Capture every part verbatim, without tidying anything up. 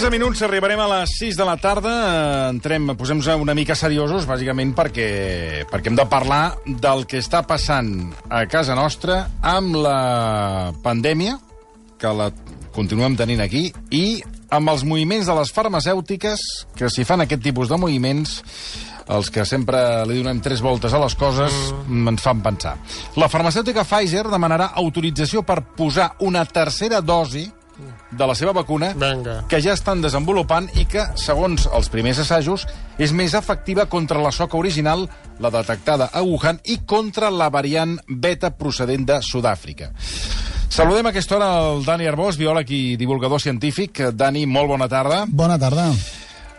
onze minuts, arribarem a les sis de la tarda. Entrem, posem-nos una mica seriosos, bàsicament perquè, perquè hem de parlar del que està passant a casa nostra amb la pandèmia, que la continuem tenint aquí, i amb els moviments de les farmacèutiques, que si fan aquest tipus de moviments, els que sempre li donem tres voltes a les coses, mm. ens fan pensar. La farmacèutica Pfizer demanarà autorització per posar una tercera dosi de la seva vacuna, Venga. que ja estan desenvolupant i que, segons els primers assajos, és més efectiva contra la soca original, la detectada a Wuhan, i contra la variant beta procedent de Sud-àfrica. Saludem a aquesta hora el Dani Arbós, biòleg i divulgador científic. Dani, molt bona tarda. Bona tarda.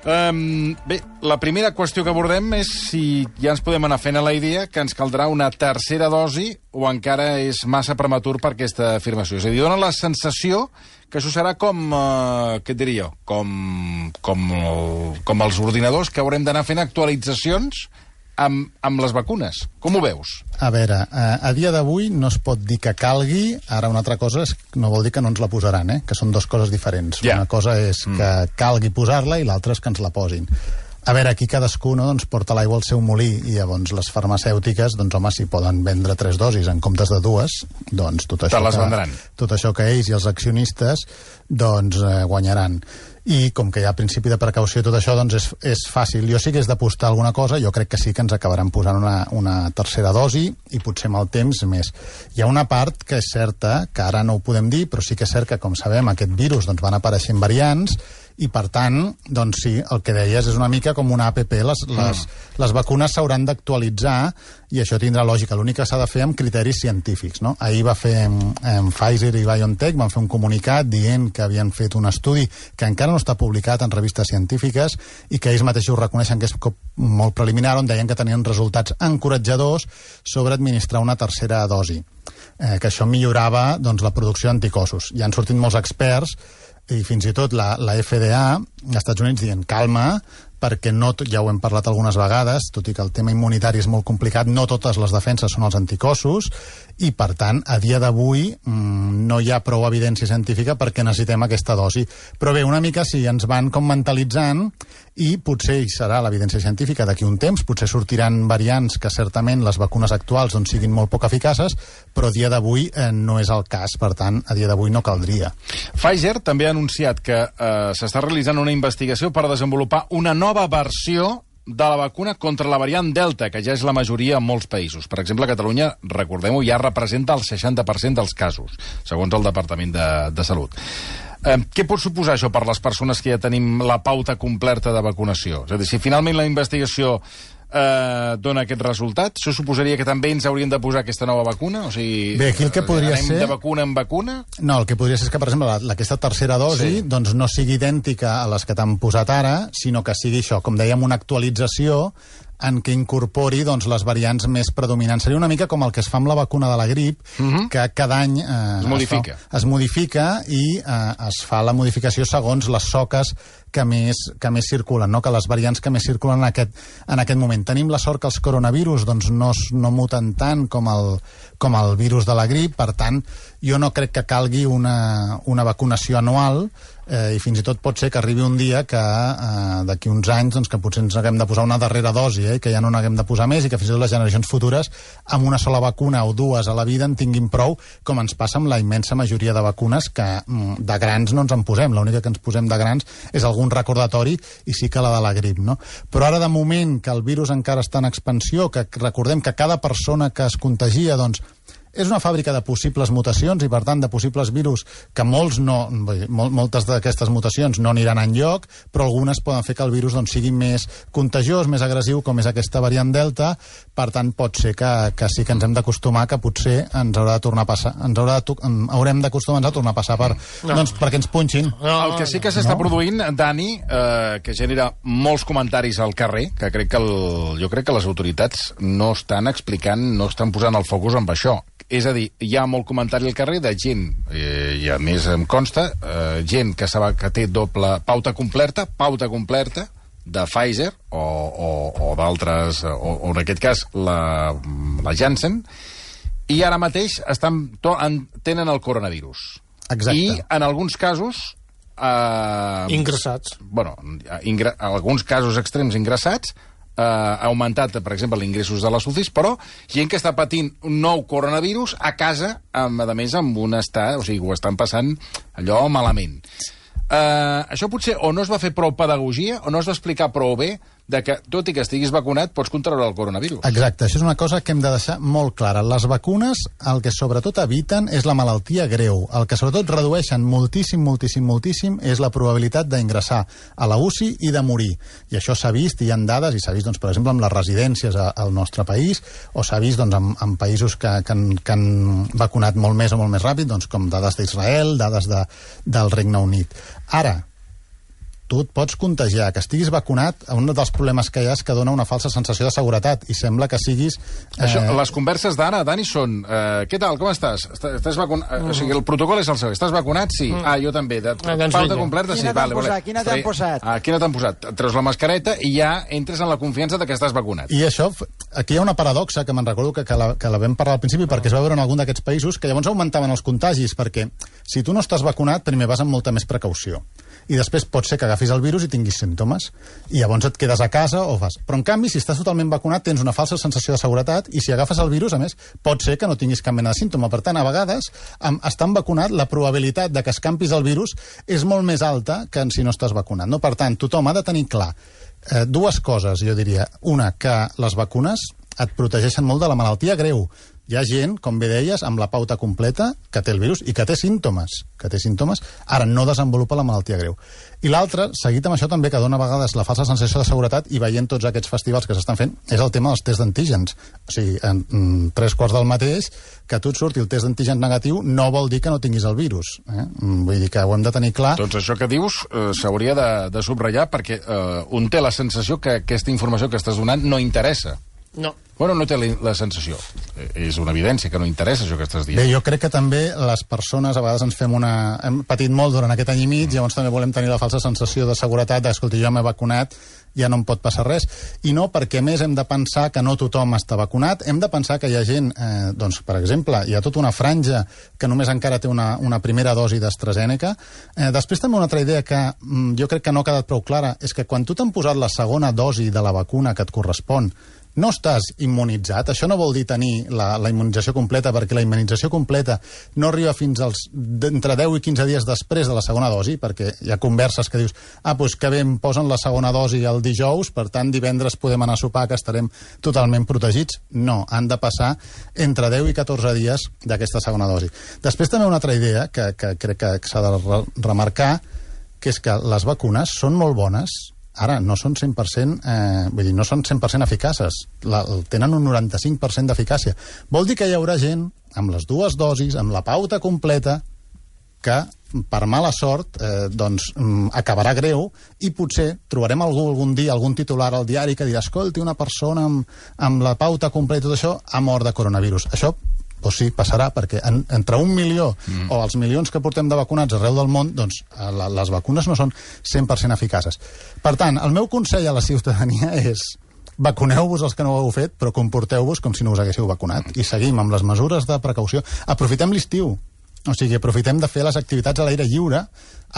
Um, bé, la primera qüestió que abordem és si ja ens podem anar fent a la idea que ens caldrà una tercera dosi o encara és massa prematur per aquesta afirmació. És a dir, dona la sensació que això serà com, uh, què et diria jo, com, com, el, com els ordinadors, que haurem d'anar fent actualitzacions amb, amb les vacunes. Com ho veus? A veure, a, a dia d'avui no es pot dir que calgui, ara una altra cosa és, no vol dir que no ens la posaran, eh? Que són dues coses diferents. Yeah. Una cosa és mm. que calgui posar-la i l'altra és que ens la posin. A veure, aquí cadascú no, doncs, porta l'aigua al seu molí i llavors les farmacèutiques, doncs home, si poden vendre tres dosis en comptes de dues, doncs tot això, les que, tot això que ells i els accionistes doncs eh, guanyaran. I com que hi ha principi de precaució i tot això, doncs és, és fàcil. Jo sí que és d'apostar alguna cosa, jo crec que sí que ens acabaran posant una, una tercera dosi i potser amb el temps més. Hi ha una part que és certa, que ara no ho podem dir, però sí que és cert que, com sabem, aquest virus doncs, van apareixent variants i, per tant, doncs sí, el que deies és una mica com una app. Les, les, mm. les vacunes s'hauran d'actualitzar i això tindrà lògica. L'únic que s'ha de fer amb criteris científics, no? Ahir va fer em, Pfizer i BioNTech, van fer un comunicat dient que havien fet un estudi que encara no està publicat en revistes científiques i que ells mateixos reconeixen que és molt preliminar, on deien que tenien resultats encoratjadors sobre administrar una tercera dosi. Eh, que això millorava doncs, la producció d'anticossos. Ja han sortit molts experts i fins i tot la, la F D A als Estats Units dient calma, perquè no, ja ho hem parlat algunes vegades, tot i que el tema immunitari és molt complicat, no totes les defenses són els anticossos i, per tant, a dia d'avui mmm, no hi ha prou evidència científica perquè necessitem aquesta dosi. Però bé, una mica sí, ens van com mentalitzant i potser hi serà l'evidència científica d'aquí un temps, potser sortiran variants que certament les vacunes actuals doncs, siguin molt poc eficaces, però a dia d'avui eh, no és el cas, per tant, a dia d'avui no caldria. Pfizer també ha anunciat que eh, s'està realitzant una investigació per desenvolupar una nova nova versió de la vacuna contra la variant Delta, que ja és la majoria en molts països. Per exemple, a Catalunya, recordem-ho, ja representa el seixanta per cent dels casos, segons el Departament de, de Salut. Eh, què pot suposar això per les persones que ja tenim la pauta completa de vacunació? És a dir, si finalment la investigació eh, dona aquest resultat, això suposaria que també ens haurien de posar aquesta nova vacuna? O sigui, bé, aquí el que podria anem ser... de vacuna en vacuna? No, el que podria ser és que, per exemple, la, aquesta tercera dosi sí. doncs no sigui idèntica a les que t'han posat ara, sinó que sigui això, com dèiem, una actualització en què incorpori doncs, les variants més predominants. Seria una mica com el que es fa amb la vacuna de la grip, uh-huh. que cada any eh, es, modifica. Es, fa, es modifica i eh, es fa la modificació segons les soques que més, que més circulen, no? Que les variants que més circulen en aquest, en aquest moment. Tenim la sort que els coronavirus doncs, no, no muten tant com el, com el virus de la grip, per tant, jo no crec que calgui una, una vacunació anual, eh, i fins i tot pot ser que arribi un dia que eh, d'aquí uns anys doncs, que potser ens haguem de posar una darrera dosi, eh, que ja no n'haguem de posar més i que fins i tot les generacions futures amb una sola vacuna o dues a la vida en tinguin prou, com ens passa amb la immensa majoria de vacunes que de grans no ens en posem. L'única que ens posem de grans és algun recordatori i sí que la de la grip, no? Però ara de moment que el virus encara està en expansió, que recordem que cada persona que es contagia doncs és una fàbrica de possibles mutacions i, per tant, de possibles virus que molts no, mol, moltes d'aquestes mutacions no aniran enlloc, però algunes poden fer que el virus doncs, sigui més contagiós, més agressiu, com és aquesta variant Delta. Per tant, pot ser que, que sí que ens hem d'acostumar, que potser ens haurà de tornar a passar, ens haurà de, haurem d'acostumar-nos a tornar a passar per, no. doncs, perquè ens punxin. No, el que sí que s'està no? produint, Dani, eh, que genera molts comentaris al carrer, que crec que el, jo crec que les autoritats no estan explicant, no estan posant el focus amb això. És a dir, hi ha molt comentari al carrer de gent, eh, i a més em consta, eh, gent que, sap, que té doble pauta completa, pauta completa de Pfizer o, o, o d'altres, o, o en aquest cas la, la Janssen, i ara mateix estan, to, en, tenen el coronavirus. Exacte. I en alguns casos Eh, Ingressats. Bueno, ingre, alguns casos extrems ingressats, eh, ha augmentat, per exemple, els ingressos de les U C Is, però gent que està patint un nou coronavirus a casa, amb, a més, amb un estat... O sigui, ho estan passant allò malament. Eh, això potser o no es va fer prou pedagogia o no es va explicar prou bé de que, tot i que estiguis vacunat, pots contraure el coronavirus. Exacte, això és una cosa que hem de deixar molt clara. Les vacunes, el que sobretot eviten és la malaltia greu. El que sobretot redueixen moltíssim, moltíssim, moltíssim és la probabilitat d'ingressar a la U C I i de morir. I això s'ha vist, hi ha dades, i s'ha vist, doncs, per exemple, amb les residències a, al nostre país, o s'ha vist doncs, en, en països que, que, han, que han vacunat molt més o molt més ràpid, doncs, com dades d'Israel, dades de, del Regne Unit. Ara, tu et pots contagiar, que estiguis vacunat, un dels problemes que hi ha és que dona una falsa sensació de seguretat, i sembla que siguis... Eh... Això, les converses d'ara, Dani, són... Eh, què tal, com estàs? Estàs vacunat? Mm. O sigui, el protocol és el següent. Estàs vacunat? Sí. Mm. Ah, jo també. De... Ah, doncs pauta completa? Sí. Vale, posat? Quina t'han posat? Ah, quina t'han posat? Treus la mascareta i ja entres en la confiança de que estàs vacunat. I això, aquí hi ha una paradoxa, que me'n recordo que, que, la, que la vam parlar al principi, perquè es va veure en algun d'aquests països, que llavors augmentaven els contagis, perquè si tu no estàs vacunat, primer vas amb molta més precaució. I després pot ser que agafis el virus i tinguis símptomes, i llavors et quedes a casa o fas... Però, en canvi, si estàs totalment vacunat, tens una falsa sensació de seguretat, i si agafes el virus, a més, pot ser que no tinguis cap mena de símptoma. Per tant, a vegades, amb, estant vacunat, la probabilitat de que escampis el virus és molt més alta que si no estàs vacunat. No? Per tant, tothom ha de tenir clar eh, dues coses, jo diria. Una, que les vacunes et protegeixen molt de la malaltia greu. Hi ha gent, com bé deies, amb la pauta completa, que té el virus i que té símptomes, que té símptomes, ara no desenvolupa la malaltia greu. I l'altre, seguit amb això també, que dona a vegades la falsa sensació de seguretat, i veient tots aquests festivals que s'estan fent, és el tema dels tests d'antígens. O sigui, en, en tres quarts del mateix, que tu et surti el test d'antígens negatiu, no vol dir que no tinguis el virus. Eh? Vull dir que ho hem de tenir clar. Doncs això que dius eh, s'hauria de, de subratllar, perquè eh, un té la sensació que aquesta informació que estàs donant no interessa. No. Bueno, no té la sensació. És una evidència que no interessa això que estàs dient. Bé, jo crec que també les persones a vegades ens fem una... Hem patit molt durant aquest any i mig, mm. llavors també volem tenir la falsa sensació de seguretat de, escolta, jo m'he vacunat, ja no em pot passar res. I no, perquè més hem de pensar que no tothom està vacunat, hem de pensar que hi ha gent, eh, doncs, per exemple, hi ha tota una franja que només encara té una, una primera dosi d'AstraZeneca. Eh, després també una altra idea que mm, jo crec que no ha quedat prou clara, és que quan tu t'han posat la segona dosi de la vacuna que et correspon, no estàs immunitzat. Això no vol dir tenir la, la immunització completa, perquè la immunització completa no arriba fins als entre deu i quinze dies després de la segona dosi, perquè hi ha converses que dius, ah, doncs que bé, em posen la segona dosi el dijous, per tant divendres podem anar a sopar, que estarem totalment protegits. No, han de passar entre deu i catorze dies d'aquesta segona dosi. Després també una altra idea que, que crec que s'ha de re remarcar, que és que les vacunes són molt bones. Ara, no són cent per cent, eh, vull dir, no són cent per cent eficaces. La, tenen un noranta-cinc per cent d'eficàcia. Vol dir que hi haurà gent amb les dues dosis, amb la pauta completa, que, per mala sort, eh, doncs, acabarà greu, i potser trobarem algú algun dia, algun titular al diari que dirà, escolti, una persona amb, amb la pauta completa i tot això ha mort de coronavirus. Això doncs sí, passarà, perquè en, entre un milió mm. o els milions que portem de vacunats arreu del món, doncs la, les vacunes no són cent per cent eficaces. Per tant, el meu consell a la ciutadania és: vacuneu-vos els que no ho heu fet, però comporteu-vos com si no us haguéssiu vacunat. I seguim amb les mesures de precaució. Aprofitem l'estiu. O sigui, aprofitem de fer les activitats a l'aire lliure,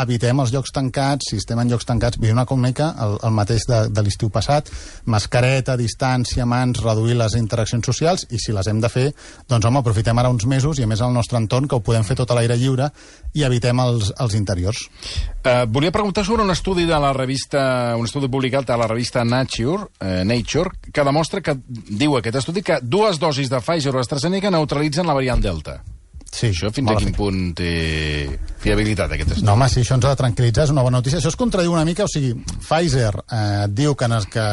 evitem els llocs tancats, si estem en llocs tancats, vull dir una mica el, el mateix de, de l'estiu passat, mascareta, distància, mans, reduir les interaccions socials, i si les hem de fer, doncs home, aprofitem ara uns mesos, i a més al nostre entorn, que ho podem fer tot a l'aire lliure, i evitem els, els interiors. Uh, volia preguntar sobre un estudi de la revista, un estudi publicat a la revista Nature, uh, Nature, que demostra que, diu aquest estudi, que dues dosis de Pfizer o AstraZeneca neutralitzen la variant Delta. Sí, això fins a quin punt té fiabilitat, aquest estudi? No, home, sí, això ens ha de tranquil·litzar, és una bona notícia. Això es contradiu una mica, o sigui, Pfizer eh, diu que, que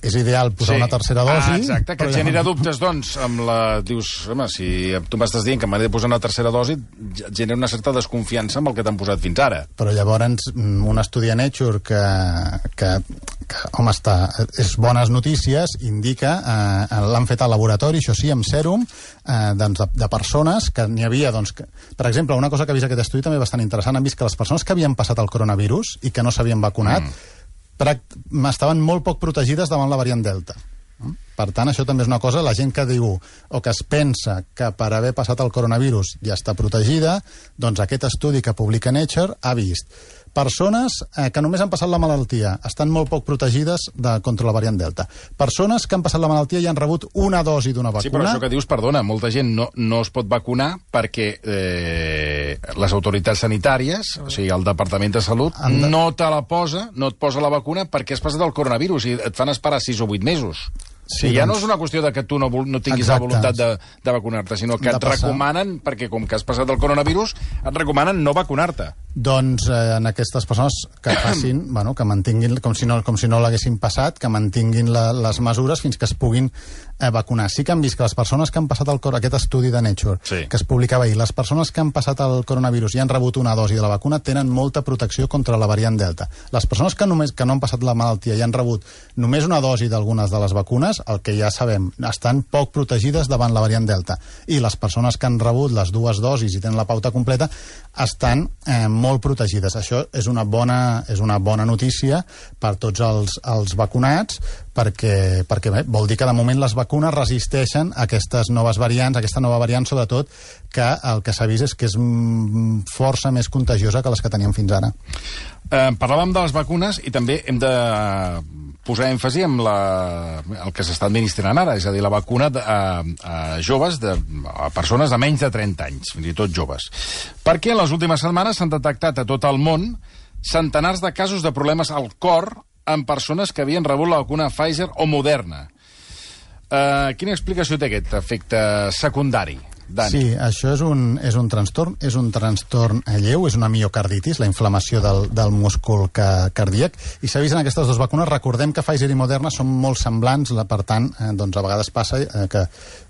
és ideal posar sí. una tercera dosi... Ah, exacte, que genera ja... dubtes, doncs, amb la... Dius, home, si tu m'estàs dient que m'ha de posar una tercera dosi, genera una certa desconfiança amb el que t'han posat fins ara. Però llavors, un estudi a Nature que, que, que home, està, és bones notícies, indica, eh, l'han fet al laboratori, això sí, amb sèrum, eh, doncs de, de persones que n'hi havia. Doncs, que, per exemple, una cosa que ha vist aquest estudi també bastant interessant, han vist que les persones que havien passat el coronavirus i que no s'havien vacunat mm. estaven molt poc protegides davant la variant Delta. Per tant, això també és una cosa, la gent que diu o que es pensa que per haver passat el coronavirus ja està protegida, doncs aquest estudi que publica Nature ha vist Persones eh, que només han passat la malaltia estan molt poc protegides de, contra la variant Delta. Persones que han passat la malaltia i han rebut una dosi d'una vacuna... Sí, però això que dius, perdona, molta gent no, no es pot vacunar perquè eh, les autoritats sanitàries, o sigui, el Departament de Salut, de... no te la posa, no et posa la vacuna perquè has passat el coronavirus i et fan esperar sis o vuit mesos. Sí, ja doncs... no és una qüestió de que tu no, no tinguis Exacte. la voluntat de, de vacunar-te, sinó que et recomanen, perquè com que has passat el coronavirus, et recomanen no vacunar-te. Doncs eh, en aquestes persones que facin, bueno, que mantinguin, com si no, com si no l'haguessin passat, que mantinguin la, les mesures fins que es puguin eh, vacunar. Sí que han vist que les persones que han passat el, aquest estudi de Nature, sí. que es publicava ahir, les persones que han passat el coronavirus i han rebut una dosi de la vacuna tenen molta protecció contra la variant Delta. Les persones que, només, que no han passat la malaltia i han rebut només una dosi d'algunes de les vacunes, el que ja sabem, estan poc protegides davant la variant Delta. I les persones que han rebut les dues dosis i tenen la pauta completa estan eh, molt protegides. Això és una bona, és una bona notícia per tots els, els vacunats, perquè, perquè bé, vol dir que de moment les vacunes resisteixen a aquestes noves variants, a aquesta nova variant, sobretot, que el que s'ha vist és que és força més contagiosa que les que teníem fins ara. Eh, parlàvem de les vacunes i també hem de posar èmfasi en la, el que s'està administrant ara, és a dir, la vacuna de, a, a joves, de, a persones de menys de trenta anys, fins i tot joves. Perquè en les últimes setmanes s'han detectat a tot el món centenars de casos de problemes al cor en persones que havien rebut la vacuna Pfizer o Moderna. Uh, quina explicació té aquest efecte secundari? Dani. Sí, això és un, és un trastorn, és un trastorn lleu, és una miocarditis, la inflamació del, del múscul que, cardíac, i s'ha vist en aquestes dues vacunes. Recordem que Pfizer i Moderna són molt semblants, per tant, eh, doncs a vegades passa eh, que,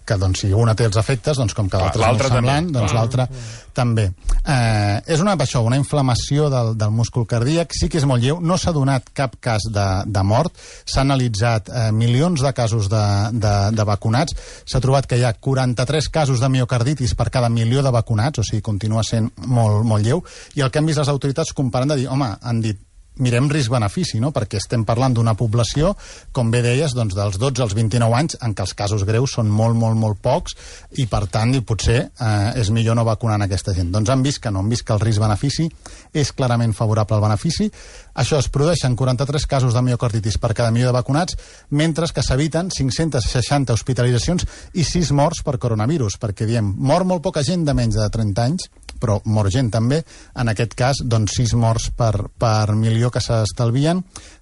que doncs, si una té els efectes, doncs com que l'altra és molt semblant, doncs l'altra també. Eh, és una, això, una inflamació del, del múscul cardíac, sí que és molt lleu, no s'ha donat cap cas de, de mort, s'ha analitzat eh, milions de casos de, de, de vacunats, s'ha trobat que hi ha quaranta-tres casos de miocarditis per cada milió de vacunats, o sigui, continua sent molt, molt lleu, i el que han vist les autoritats comparant de dir, home, han dit, mirem risc-benefici, no? Perquè estem parlant d'una població, com bé deies, doncs dels dotze als vint-i-nou anys, en què els casos greus són molt, molt, molt pocs, i per tant, potser eh, és millor no vacunar aquesta gent. Doncs han vist que no, han vist que el risc-benefici és clarament favorable al benefici. Això es produeixen quaranta-tres casos de miocarditis per cada milió de vacunats, mentre que s'eviten cinc-centes seixanta hospitalitzacions i sis morts per coronavirus, perquè diem, mor molt poca gent de menys de trenta anys, però mor gent també, en aquest cas, doncs sis morts per, per milió que s'estalvien.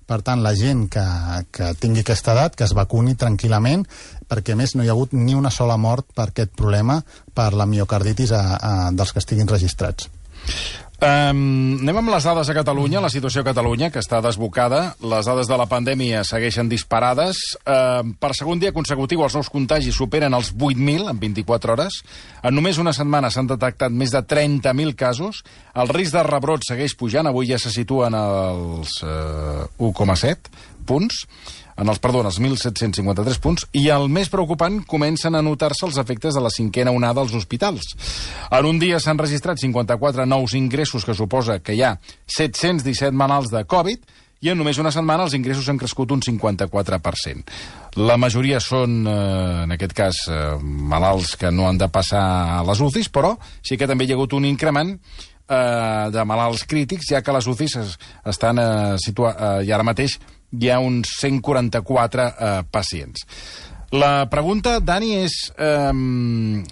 Per tant, la gent que, que tingui aquesta edat, que es vacuni tranquil·lament, perquè a més no hi ha hagut ni una sola mort per aquest problema, per la miocarditis a, a, dels que estiguin registrats. Um, anem amb les dades a Catalunya, la situació a Catalunya, que està desbocada. Les dades de la pandèmia segueixen disparades. Uh, per segon dia consecutiu, els nous contagis superen els vuit mil en vint-i-quatre hores. En només una setmana s'han detectat més de trenta mil casos. El risc de rebrot segueix pujant. Avui ja se situen als uh, u coma set punts. En els, perdó, en els mil set-cents cinquanta-tres punts, i el més preocupant, comencen a notar-se els efectes de la cinquena onada als hospitals. En un dia s'han registrat cinquanta-quatre nous ingressos, que suposa que hi ha set-cents disset malalts de Covid, i en només una setmana els ingressos han crescut un cinquanta-quatre per cent. La majoria són, eh, en aquest cas, eh, malalts que no han de passar a les U C Is, però sí que també hi ha hagut un increment eh, de malalts crítics, ja que les U C Is estan eh, situats, eh, i ara mateix hi ha uns cent quaranta-quatre eh, pacients. La pregunta, Dani, és, eh,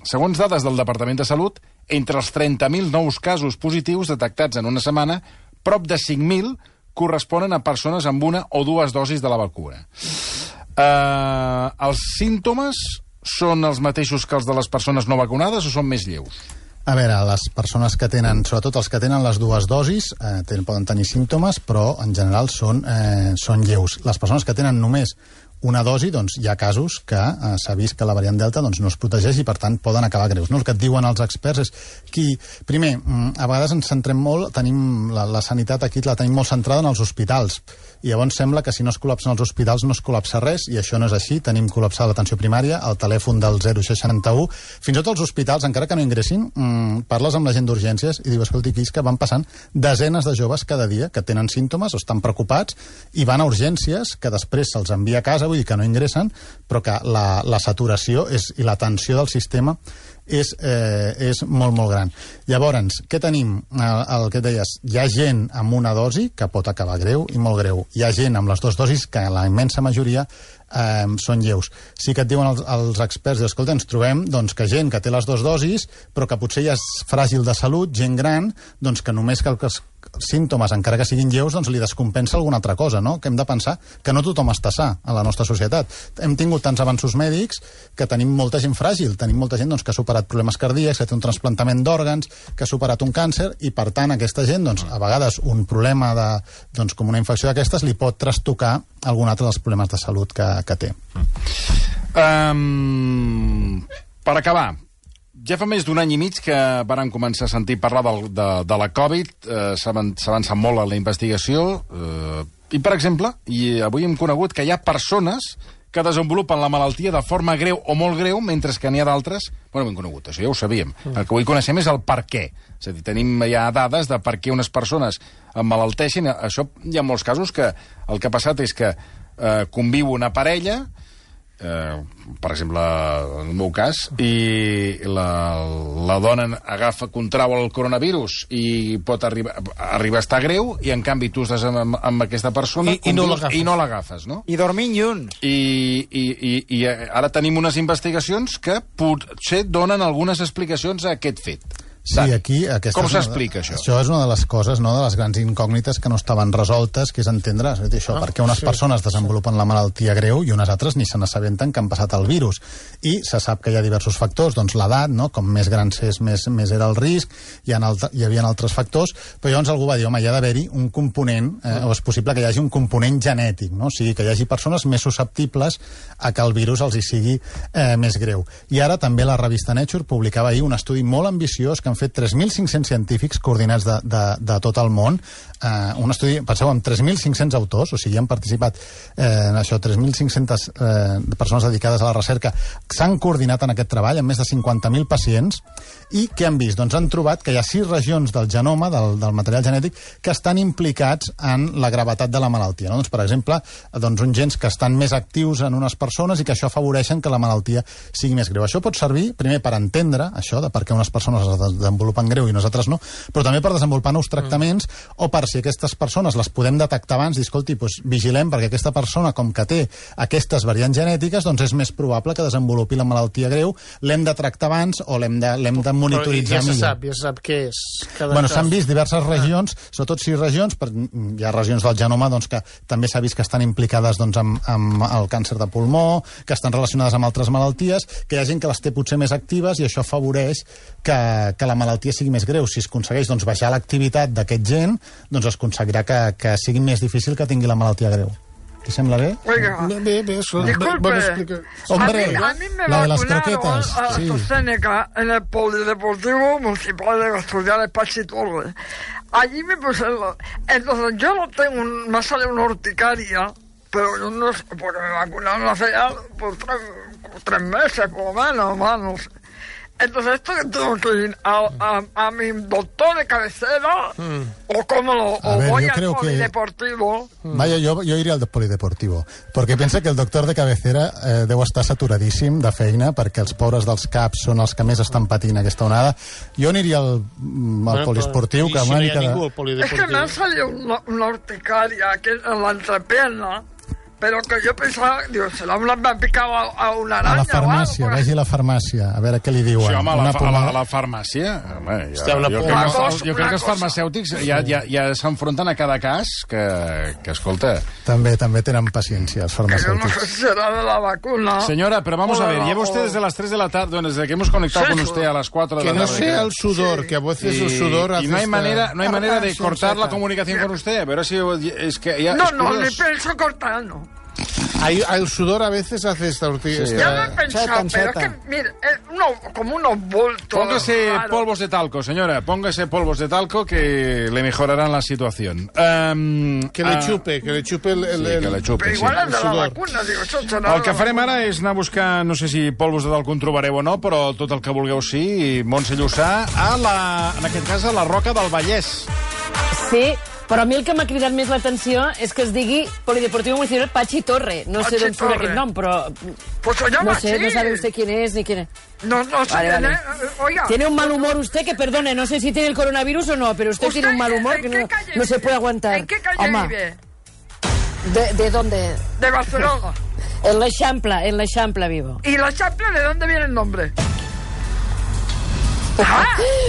segons dades del Departament de Salut, entre els trenta mil nous casos positius detectats en una setmana, prop de cinc mil corresponen a persones amb una o dues dosis de la vacuna. Eh, els símptomes són els mateixos que els de les persones no vacunades o són més lleus? A veure, les persones que tenen, sobretot els que tenen les dues dosis, eh, tenen, poden tenir símptomes, però en general són, eh, són lleus. Les persones que tenen només una dosi, doncs hi ha casos que eh, s'ha vist que la variant Delta doncs, no es protegeix i per tant poden acabar greus. No? El que et diuen els experts és qui... Primer, a vegades ens centrem molt, tenim la, la sanitat aquí la tenim molt centrada en els hospitals, i llavors sembla que si no es col·lapsen els hospitals no es col·lapsa res, i això no és així. Tenim col·lapsada l'atenció primària, el telèfon del zero seixanta-u, fins i tot els hospitals, encara que no ingressin, mmm, parles amb la gent d'urgències i diu, escolti, aquí és que van passant desenes de joves cada dia que tenen símptomes o estan preocupats i van a urgències, que després se'ls envia a casa, vull dir que no ingressen, però que la, la saturació és, i la tensió del sistema és, eh, és molt, molt gran. Llavors, què tenim? El, el que deies, hi ha gent amb una dosi que pot acabar greu i molt greu. Hi ha gent amb les dues dosis que la immensa majoria eh, són lleus. Sí que et diuen els, els experts, dius, escolta, ens trobem doncs, que gent que té les dues dosis, però que potser ja és fràgil de salut, gent gran, doncs que només que els símptomes, encara que siguin lleus, doncs li descompensa alguna altra cosa, no? Que hem de pensar que no tothom està sa a la nostra societat. Hem tingut tants avanços mèdics que tenim molta gent fràgil, tenim molta gent doncs, que ha superat problemes cardíacs, que té un trasplantament d'òrgans, que ha superat un càncer, i per tant aquesta gent, doncs, a vegades un problema de, doncs, com una infecció d'aquestes li pot trastocar algun altre dels problemes de salut que, que té. Um, per acabar, ja fa més d'un any i mig que varen començar a sentir parlar de, de, de la Covid, eh, s'ha avançat molt en la investigació, eh, i, per exemple, i avui hem conegut que hi ha persones que desenvolupen la malaltia de forma greu o molt greu, mentre que n'hi ha d'altres... Bueno, ho hem conegut, això ja ho sabíem. El que avui coneixem és el per què. És a dir, tenim ja dades de per què unes persones emmalalteixen. Això hi ha molts casos que el que ha passat és que eh, conviu una parella, eh, per exemple, en el meu cas, i la, la dona agafa, contrau el coronavirus i pot arribar, arribar a estar greu, i en canvi tu estàs amb, amb aquesta persona I, i no i no l'agafes, no? I dormint junts. I, i, i, I ara tenim unes investigacions que potser donen algunes explicacions a aquest fet. Sí, aquí... Com s'explica això? Això és una de les coses, no?, de les grans incògnites que no estaven resoltes, que és entendre és dir, això, ah, perquè unes sí, persones desenvolupen sí. la malaltia greu i unes altres ni se n'assabenten que han passat el virus. I se sap que hi ha diversos factors, doncs l'edat, no?, com més gran és, més, més era el risc, hi, ha altre, hi havia altres factors, però llavors algú va dir, home, hi ha d'haver-hi un component, eh, o és possible que hi hagi un component genètic, no?, o sigui, que hi hagi persones més susceptibles a que el virus els hi sigui eh, més greu. I ara també la revista Nature publicava ahir un estudi molt ambiciós que han fet tres mil cinc-cents científics coordinats de, de, de tot el món. Eh, un estudi, penseu, amb tres mil cinc-cents autors, o sigui, han participat eh, en això, tres mil cinc-centes eh, persones dedicades a la recerca, s'han coordinat en aquest treball amb més de cinquanta mil pacients, i què han vist? Doncs han trobat que hi ha sis regions del genoma, del, del material genètic, que estan implicats en la gravetat de la malaltia. No? Doncs, per exemple, doncs, uns gens que estan més actius en unes persones i que això afavoreixen que la malaltia sigui més greu. Això pot servir, primer, per entendre això, de per què unes persones es desenvolupen greu i nosaltres no, però també per desenvolupar nous tractaments, mm. o per si aquestes persones les podem detectar abans, dir, escolti, doncs vigilem, perquè aquesta persona, com que té aquestes variants genètiques, doncs és més probable que desenvolupi la malaltia greu, l'hem de tractar abans o l'hem de, l'hem de monitoritzar millor. Ja se millor. sap, ja se sap què és. Bueno, s'han vist diverses regions, ah. sobretot sis regions, per, hi ha regions del genoma doncs, que també s'ha vist que estan implicades doncs, amb, amb el càncer de pulmó, que estan relacionades amb altres malalties, que hi ha gent que les té potser més actives i això afavoreix que, que la malaltia sigui més greu. Si es aconsegueix doncs, baixar l'activitat d'aquest gent, doncs es aconseguirà que, que sigui més difícil que tingui la malaltia greu. ¿Te sembla bé? Oiga, bé, bé, eso, disculpe, bé, Hombre, a mí, a mí me la de las vacunaron croquetas, a sí. AstraZeneca en el Polideportivo Municipal de Asturias Pachi Torres. Allí me pusieron, entonces yo no tengo, un, me sale una urticaria, pero yo no sé, porque me vacunaron hace ya por tres, por tres meses, por lo menos, más, no sé. Entonces, ¿esto que tengo que ir a, a, a mi doctor de cabecera? Mm. ¿O cómo lo, o ver, voy al polideportivo? Que... Vaya, yo, yo iría al polideportivo, perquè pensa que el doctor de cabecera eh, deu estar saturadíssim de feina, perquè els pobres dels caps són els que més estan patint aquesta onada. Jo aniria al, al bueno, poliesportiu. Que si no hi ha de... ningú al polideportiu. Es que me ha salido una, una urticaria aquí en la entrepierna, pero que yo pensaba, digo, se la me ha picado a, a una araña. A la farmàcia, vagi a la farmàcia, a veure què li diuen. Sí, home, a la, una a la, a la farmàcia... Home, ja, Hòstia, una jo, por... crec, cosa, jo crec que els farmacèutics ja, ja, ja s'enfronten a cada cas que, que escolta... També, també tenen paciència, els Que yo no farmacèutics. sé si será de la vacuna. Señora, pero vamos a ver, lleva usted desde las tres de la tarde, desde que hemos conectado Sí, con sí. usted a las cuatro de Que la no tarde. sea el sudor, Sí. que a veces y, el sudor hace y no hay esta- manera, no hay manera de Ah, cortar la sensata. comunicación con usted. A ver si es que ya No, es no, ni curioso. pienso cortar, no. Hay, el sudor a veces hace esta ortiga. Sí. Ya lo he pensado, Chata, pero chata. es que, mire, es uno, como unos bultos. Póngase raros. polvos de talco, señora. Póngase polvos de talco que le mejorarán la situación. Um, Que le ah, chupe, que le chupe el... el, Sí, que el- le chupe, Pero sí. igual es de la sudor. vacuna, digo, eso será El que de la farem vacuna. ara és anar a buscar, no sé si polvos de talco en trobareu o no, però tot el que vulgueu sí, i Montse Llussà, a la, en aquest cas a la Roca del Vallès. Sí, Però a mi el que m'ha cridat més l'atenció és que es digui Polideportivo Municipal Pachi Torre. No sé Pachi d'on surt Torre. aquest nom, però... Pues se llama No sé, así. no sabe usted quién es ni quién es. No, no sé Vale, quién vale. es. Oiga. Tiene un mal humor usted que, perdone, no sé si tiene el coronavirus o no, pero usted, ¿Usted tiene un mal humor en que qué no, calle no se vive? puede aguantar. ¿En qué calle Home, vive? ¿De, ¿De dónde? De Barcelona. En la Champla, en la Champla vivo. ¿Y la Champla de dónde viene el nombre? Ah,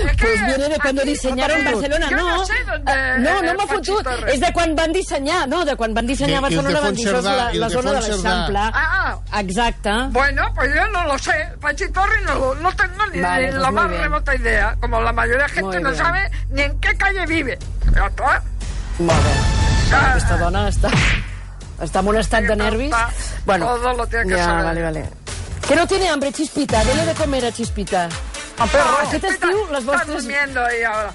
es que Pues viene de cuando aquí- diseñaron Barcelona, Yo no. no sé dónde Ah, no, no eh, m'ha Pachi fotut. Torre. És de quan van dissenyar, no, de quan van dissenyar I- i el de Barcelona van dir, això és la, Fontserdà, i el la de zona de la Fontserdà. Champla. Ah, ah. Exacte. Bueno, pues yo no lo sé. Pachi Torre no, lo- no tengo ni, Vale, ni pues la muy más bien. remota idea. Como la mayoría de gente Muy no bien. sabe ni en qué calle vive. Ya está. Molt bé. Ah. Aquesta dona està, està en un estat de nervis. Está- todo lo tiene que ja, saber. vale, vale. Que no tiene hambre, Chispita. Dele de comer a Chispita. Ah, pero Aquest Chispita estiu, les Está vostres... durmiendo ahí ahora.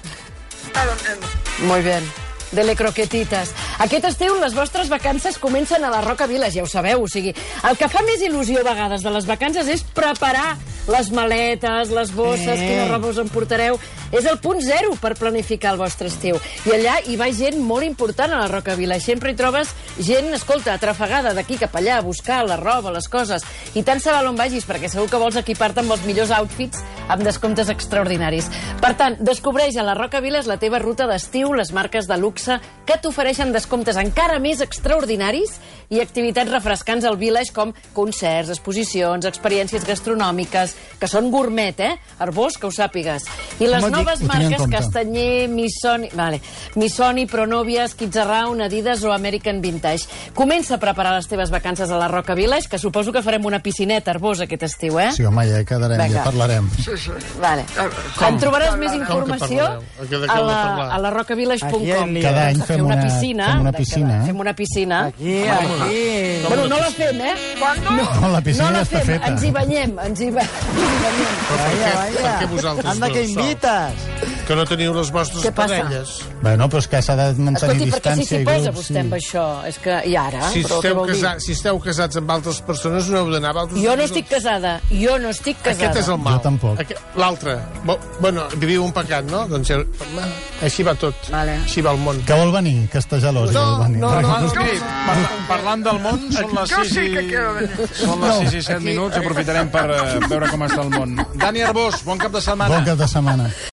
Está durmiendo. Muy bien. Dele croquetites. Aquest estiu les vostres vacances comencen a la Roca Village, ja ho sabeu. O sigui, el que fa més il·lusió a vegades de les vacances és preparar les maletes, les bosses, Eh. quina roba us emportareu. És el punt zero per planificar el vostre estiu. I allà hi va gent molt important a la Roca Village. Sempre hi trobes gent, escolta, atrafegada d'aquí cap allà, a buscar la roba, les coses. I tant se val on vagis, perquè segur que vols equipar-te amb els millors outfits amb descomptes extraordinaris. Per tant, descobreix a la Roca Village la teva ruta d'estiu, les marques de luxe que t'ofereixen descomptes encara més extraordinaris i activitats refrescants al Village com concerts, exposicions, experiències gastronòmiques, que són gourmet, eh? Arbós, que ho sàpigues. I les Home, noves ho tinc en marques compte. Castanyer, Missoni... Vale. Missoni, Pronovias, Kids Around, Adidas o American Vintage. Comença a preparar les teves vacances a la Roca Village, que suposo que farem una piscineta, Arbós, aquest estiu, eh? Sí, home, ja hi quedarem, Vinga. ja parlarem. Sí, sí. Vale. Com? En trobaràs més Com que informació parlareu? A què- de què a heu de la, parlar? a la rocavillage punt Aquí com. en lío. Cada any fem una una- piscina. fem una de piscina, cada- eh? Fem una piscina. Aquí, aquí. Bueno, no la fem, eh? ¿Cuándo? No, la piscina no la ja està fem, feta. ens hi banyem, ens hi, ba... ens hi banyem. Vaya, Per vaya. què vosaltres Anda, dos que sols? invites. Que no teniu les vostres Què passa? parelles. Bueno, però és que s'ha de mantenir Escolti, perquè si distància s'hi i posa grups. vostè amb això, és que... I ara? Si Però què esteu, vol dir? casa, si esteu casats amb altres persones, no heu d'anar amb altres Jo no estic casada, jo no estic casada. Aquest és el mal. Jo tampoc. Aquest- L'altre. Bo, bueno, viviu un pecat, no? Doncs ja- així va tot. Vale. Així va el món. Que vol venir, que està gelós. No, vol venir. no, no. Doncs miri, par parlant del món, són les Yo sis sí i... que quiero venir. Són les sis i set minuts, aprofitarem per eh, veure com està el món. Dani Arbós, bon cap de setmana. Bon cap de setmana.